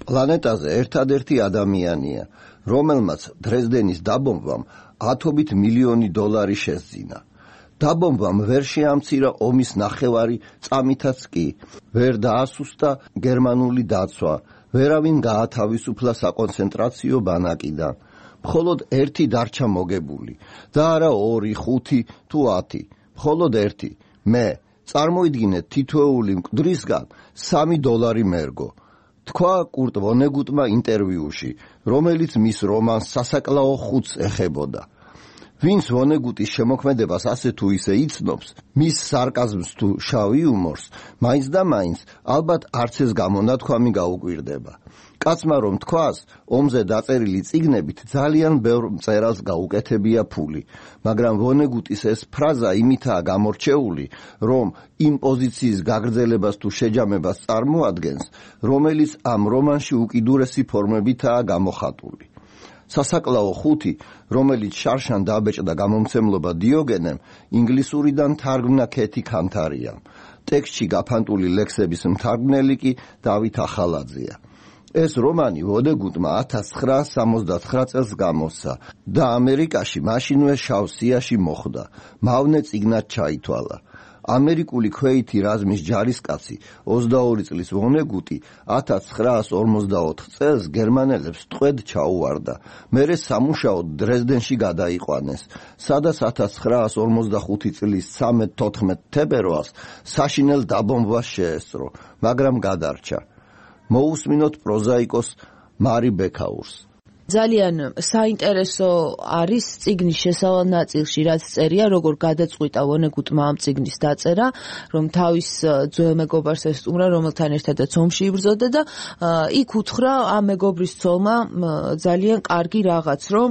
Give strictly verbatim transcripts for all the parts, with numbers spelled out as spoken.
პლანეტაზე ერთადერთი ადამიანია, რომელმაც დრეზდენის დაბომბვამ ათობით მილიონი დოლარი შესძინა. დაბომბვამ ვერ შეამცირა ომის ნახევარი წამითაც კი, ვერ დაასუსტა გერმანული დაცვა, ვერავინ გაათავისუფლა საკონცენტრაციო ბანაკიდან. მხოლოდ ერთი დარჩა მოგებული და არა ორი, ხუთი თუ ათი, მხოლოდ ერთი. მე წარმოიდგინეთ თითოეული მკვდრისგან სამი დოლარი მერგო. თქვა კურტ ვონეგუტმა ინტერვიუში, რომელიც მის რომანს სასაკლაო ხუთს ეხებოდა. ვინც ვონეგუტის შემოქმედებას ასე თუ ისე იცნობს, მის სარკაზმს თუ შავ იუმორს, მაინც და მაინც ალბათ არც ეს გამონათქვამი გაუკვირდება. კაცმა რომ თქვას, ომზე დაწერილი წიგნებით ძალიან ბევრ მწერალს გაუკეთებია ფული, მაგრამ ვონეგუტის ეს ფრაზა იმითაა გამორჩეული, რომ იმ პოზიციის გაგრძელებას თუ შეჯამებას წარმოადგენს, რომელიც ამ რომანში უკიდურესი ფორმებითაა გამოხატული. სასაკლაო ხუთი, რომელიც შარშან დაბეჭდა გამომცემლობა დიოგენემ, ინგლისურიდან თარგმნა ქეთი ქანთარიამ. ტექსტში გაფანტული ლექსების მთარგმნელი კი დავით ახალაძეა. ეს რომანი ვონეგუტმა ათას ცხრაასი სამოცდათხრა წელს გამოსცა და ამერიკაში მაშინვე შავ სიაში მოხვდა. მავნე წიგნად ჩაითვალა. ამერიკული ქვეითი რაზმის ჯარისკაცი ოცდაორი წლის ვონეგუტი ათას ცხრაასი ორმოცდაოთხ წელს გერმანელებს ტყვედ ჩაუვარდა. მერე სამუშაოდ დრეზდენში გადაიყვანეს, სადაც ათას ცხრაასი ორმოცდახუთი წლის ცხრამეტ-თოთხმეტ თებერვალს საშინელ დაბომბვას შეესწრო, მაგრამ გადარჩა. მოусმინოთ პროზაიკოს მარი ბექაურს. ძალიან საინტერესო არის წიგნის შესავალ ნაწილში, რაც წერია, როგორ გადაწყვიტა ვონეგუტმა ამ წიგნის დაწერა, რომ თავის ძველ მეგობარს ესტუმრა, რომელთან ერთადაც ომში იბრძოდა და იქ უთხრა ამ მეგობრის ცოლმა ძალიან კარგი რაღაც, რომ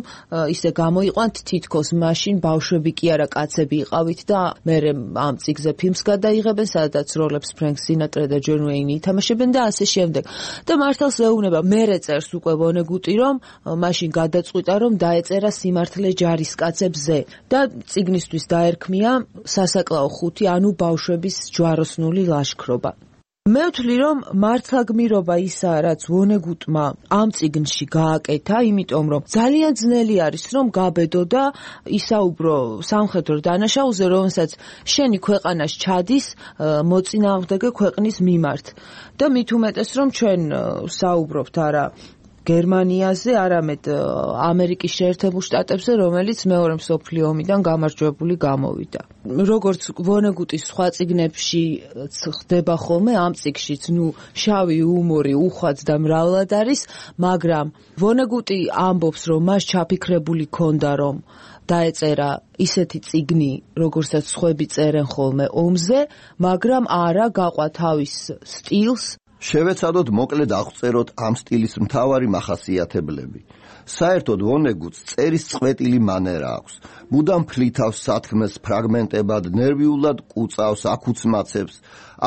ისე გამოიყვანთ თითქოს მაშინ ბავშვები კი არა კაცები იყავით და მერე ამ წიგზე ფილმს გადაიღებენ, სადაც როლებს ფრენკ სინატრა და ჯონ უეინი ითამაშებენ და ასე შემდეგ. და მართალს ეუბნება, მერე წერს უკვე ვონეგუტი, რომ მაშინ გადაწყვიტა, რომ დაეწერა სიმართლე ჯარისკაცებზე და წიგნისთვის დაერქმია სასაკლაო ხუთი, ანუ ბავშვების ჯვაროსნული ლაშქრობა. მე ვთვლი, რომ მართლა გმირობა ისაა, რაც ვონეგუტმა ამ წიგნში გააკეთა, იმიტომ რომ ძალიან ძნელი არის, რომ გაბედო და ისაუბრო სამხედრო დანაშაულზე, რომელსაც შენი ქვეყანას ჩადის მოწინააღმდეგე ქვეყნის მიმართ. და მით უმეტეს, რომ ჩვენ საუბრობთ არა გერმანიაზე, არამედ ამერიკის შეერთებულ შტატებზე, რომელიც მეორე მსოფლიო ომიდან გამარჯვებული გამოვიდა. როგორც ვონეგუტის სხვა წიგნებში ხდება ხოლმე, ამ წიგნშიც ნუ შავი იუმორი უხვად და მრავლად არის, მაგრამ ვონეგუტი ამბობს, რომ მას ჩაფიქრებული ქონდა, რომ დაეწერა ისეთი წიგნი, როგორცაც სხვები წერენ ხოლმე ომზე, მაგრამ არა გაყვა თავის სტილს. შევეცადოთ მოკლედ აღწეროთ ამ სტილის მთავარი მახასიათებლები. საერთოდ ვონეგუტს წერის წყვეტილი მანერა აქვს. მუდამ ფლითავს სათქმელს ფრაგმენტებად, ნერვიულად კუწავს, აკუცმაცებს.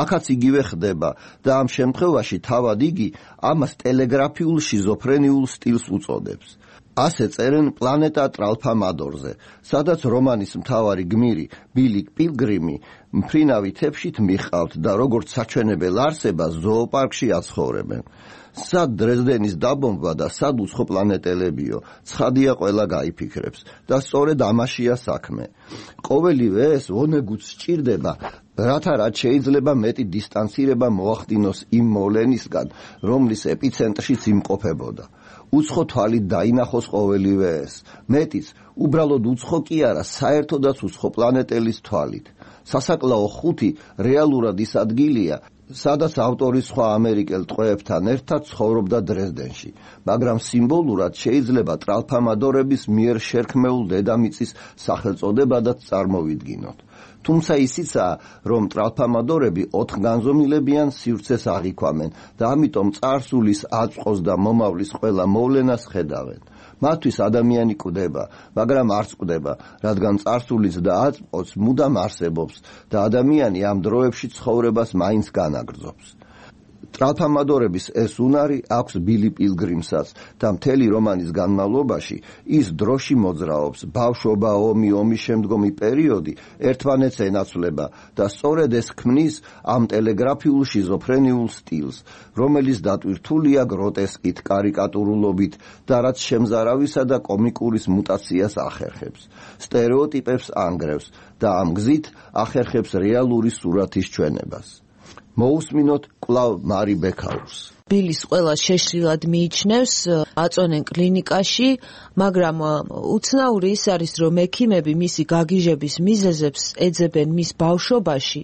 აქაც იგივე ხდება და ამ შემთხვევაში თავად იგი ამას ტელეგრაფიულ შიზოფრენიულ სტილს უწოდებს. ასე წერენ პლანეტა ტრალფამადორზე, სადაც რომანის მთავარი გმირი ბილი პილგრიმი მფრინავი თეფშით მიყავთ და როგორც საჩვენებელ არსებას ზოოპარკში აცხოვრებენ. სად დრეზდენის დაბომბვა და სად უცხო პლანეტელებიო, ცხადია ყველა გაიფიქრებს და სწორედ ამაშია საქმე. ყოველივე ეს ვონეგუტს სჭირდება, რათა რაც შეიძლება მეტი დისტანცირება მოახდინოს იმ მოვლენისგან, რომლის ეპიცენტრშიც იმყოფებოდა. უცხო თვალით დაინახოს ყოველივე ეს. მეტიც, უბრალოდ უცხო კი არა, საერთოდაც უცხო პლანეტელის თვალით. სასაკლაო ხუთი რეალურად ის ადგილია, სადაც ავტორი სხვა ამერიკელ ტყვეებთან ერთად ცხოვრობდა დრეზდენში, მაგრამ სიმბოლურად შეიძლება ტრალფამადორების მიერ შერქმეულ დედამიწის სახელწოდებადაც წარმოვიდგინოთ. თუმცა ისიცაა, რომ ტრალფამადორები ოთხგანზომილებიან სივრცეს აღიქვამენ და ამიტომ წარსულის, აწყვოს და მომავლის ყველა მოვლენას ხედავენ. მათთვის ადამიანი კვდება, მაგრამ არც კვდება, რადგან წარსულიც და აწყვოც მუდამ არსებობს და ადამიანი ამ დროებში ცხოვრებას მაინც განაგრძობს. ტრალფამადორების ეს უნარი აქვს ბილი პილგრიმსაც და მთელი რომანის განმავლობაში ის დროში მოძრაობს, ბავშვობა, ომი, ომის შემდგომი პერიოდი ერთმანეთს ენაცვლება და სწორედ ეს ქმნის ამ ტელეგრაფიულ შიზოფრენიულ სტილს, რომელიც დატვირთულია გროტესკით, კარიკატურულობით და რაც შემზარავისა და კომიკურის მუტაციას ახერხებს, სტერეოტიპებს ანგრევს და ამ გზით ახერხებს რეალური სურათის ჩვენებას. მოусმინოთ კვლავ მარი ბექაურს. ბილის ყველა შეშლილად მიიჩნევს, აწონენ კლინიკაში, მაგრამ უცნაური ის არის, რომ ექიმები მისი გაგიჟების მიზეზებს ეძებენ მის ბავშვობაში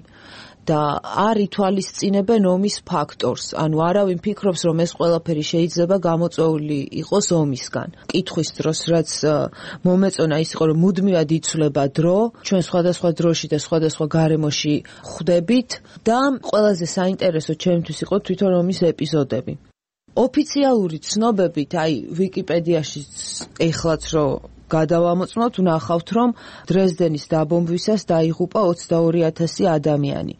და არ ითვალისწინებენ ომის ფაქტორს. ანუ არავინ ფიქრობს, რომ ეს ყველაფერი შეიძლება გამოწვეული იყოს ომისგან. კითხვის დროს, რაც მომეწონა ის იყო, რომ მუდმივად იცვლება დრო, ჩვენ სხვადასხვა დროში და სხვადასხვა გარემოში ხვდებით და ყველაზე საინტერესო ჩემთვის იყო თვითონ ომის ეპიზოდები. ოფიციალური ცნობებით, აი ვიკიპედიაში ეხლაც რო გადავამოწმოთ, ვნახავთ, რომ დრეზდენის დაბომბვისას დაიღუპა ოცდაორი ათასი ადამიანი.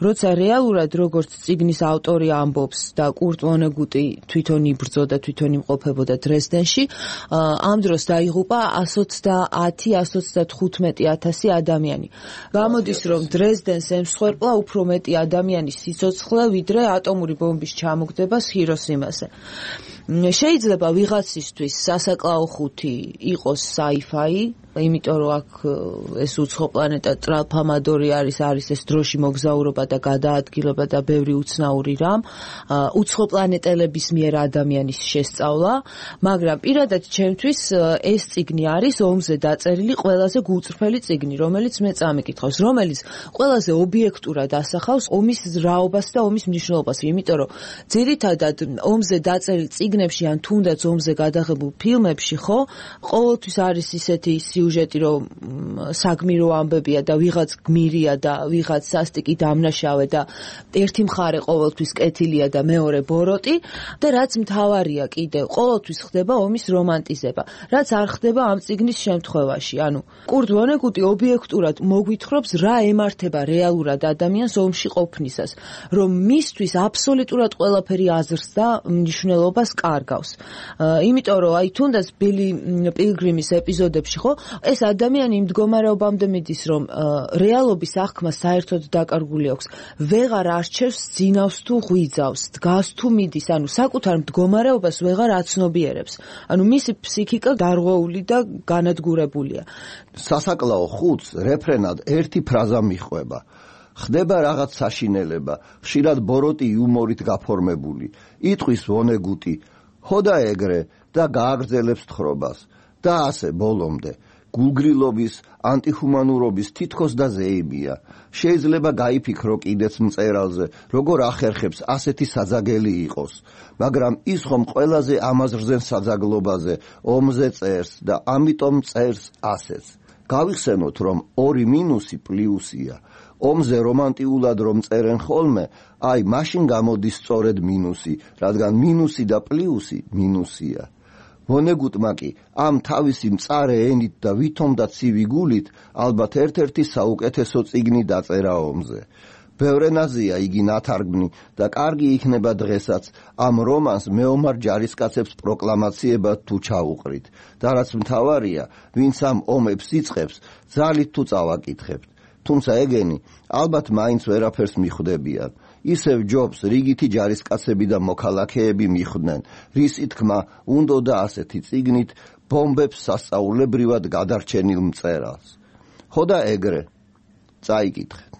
როცა რეალურად როგორც წიგნის ავტორი ამბობს და კურტ ვონეგუტი თვითონ იბრძოდა, თვითონ იმყოფებოდა დრეზდენში, ამ დროს დაიღუპა εκατს ოცდაათი εκατს ოცდათხუთმეტი ათასი ადამიანი. გამოდის, რომ დრეზდენს ემსხვერპლა უფრო მეტი ადამიანის სიცოცხლე, ვიდრე ატომური ბომბის ჩამოგდებას ჰიროსიმაზე. შეიძლება ვიღაცისთვის სასაკლაო ხუთი იყოს sci-fi, იმიტომ რომ აქ ეს უცხო პლანეტა ტრალფამადორი არის, არის ეს დროში მოგზაურობა და გადაადგილება და ბევრი უცნაური რამ, უცხო პლანეტელების მიერ ადამიანის შესწავლა, მაგრამ პირადად ჩემთვის ეს წიგნი არის ომზე დაწერილი ყველაზე გულწრფელი წიგნი, რომელიც მე წამიკითხავს, რომელიც ყველაზე ობიექტურად ასახავს ომის რაობას და ომის მნიშვნელობას, იმიტომ რომ ძირითადად ომზე დაწერილ წიგნებში ან თუნდაც ომზე გადაღებულ ფილმებში, ხო, ყოველთვის არის ისეთი სიუჟეტი, რომ საგმირო ამბებია და ვიღაც გმირია და ვიღაც სასტიკი დამნაშავე და ერთი მხარე ყოველთვის კეთილია და მეორე ბოროტი და რაც მთავარია კიდევ, ყოველთვის ხდება ომის რომანტიზება, რაც არ ხდება ამ წიგნის შემთხვევაში. ანუ კურტ ვონეგუტი ობიექტურად მოგვითხრობს, რა ემართება რეალურად ადამიანს ომში ყოფნისას, რომ მისთვის აბსოლუტურად ყველაფერი აზრს და მნიშვნელობას კარგავს. იმიტომ რომ აი თუნდაც ბილი პილგრიმის ეპიზოდებში, ხო, ეს ადამიანი იმ მდგომარეობამდე მიდის, რომ რეალობის აღქმა საერთოდ დაკარგული აქვს, ვეღარ არჩევს ძინავს თუ ღვიძავს, დგას თუ მიდის, ანუ საკუთარ მდგომარეობას ვეღარ აცნობიერებს. ანუ მისი ფსიქიკა გარღვეული და განადგურებულია. სასაკლაო ხუთს რეფრენად ერთი ფრაზა მიჰყვება. ხდება რაღაც საშინელება, ხშირად ბოროტი იუმორით გაფორმებული. იტყვის ვონეგუტი, ხოდა ეგრე და გააგრძელებს თხრობას და ასე ბოლომდე. გულგრილობის, ანტიჰუმანურობის თითქოს და ზეიმია. შეიძლება გაიფიქრო კიდეც მწერალზე, როგორ ახერხებს ასეთი საძაგელი იყოს, მაგრამ ის ხომ ყველაზე ამაზრზენ საძაგლობაზე ომზე წერს და ამიტომ წერს ასეც. გავიხსენოთ, რომ ორი მინუსი პლუსია. ომზე რომანტიულად რომ წერენ ხოლმე, აი მაშინ გამოდის სწორედ მინუსი, რადგან მინუსი და პლუსი მინუსია. ვონეგუტმა კი ამ თავისი მწარე ენით და ვითომ და ცივი გულით ალბათ ერთ-ერთი საუკეთესო წიგნი დაწერა ომზე. ბევრ ენაზეა იგი ნათარგმნი და კარგი იქნება დღესაც ამ რომანს მეომარ ჯარისკაცებს პროკლამაციებად თუ ჩაუყრით. და რაც მთავარია, ვინც ამ ომებს იწყებს, ძალით თუ წავაკითხებთ. თუმცა ეგენი ალბათ მაინც ვერაფერს მიხვდებიან. ისევ ჯობს რიგითი ჯარისკაცები და მოქალაქეები მიხვდნენ, რისი თქმა უნდოდა ასეთი წიგნით ბომბებს სასწაულებრივად გადარჩენილ მწერალს. ხოდა ეგრე, წაიკითხეთ.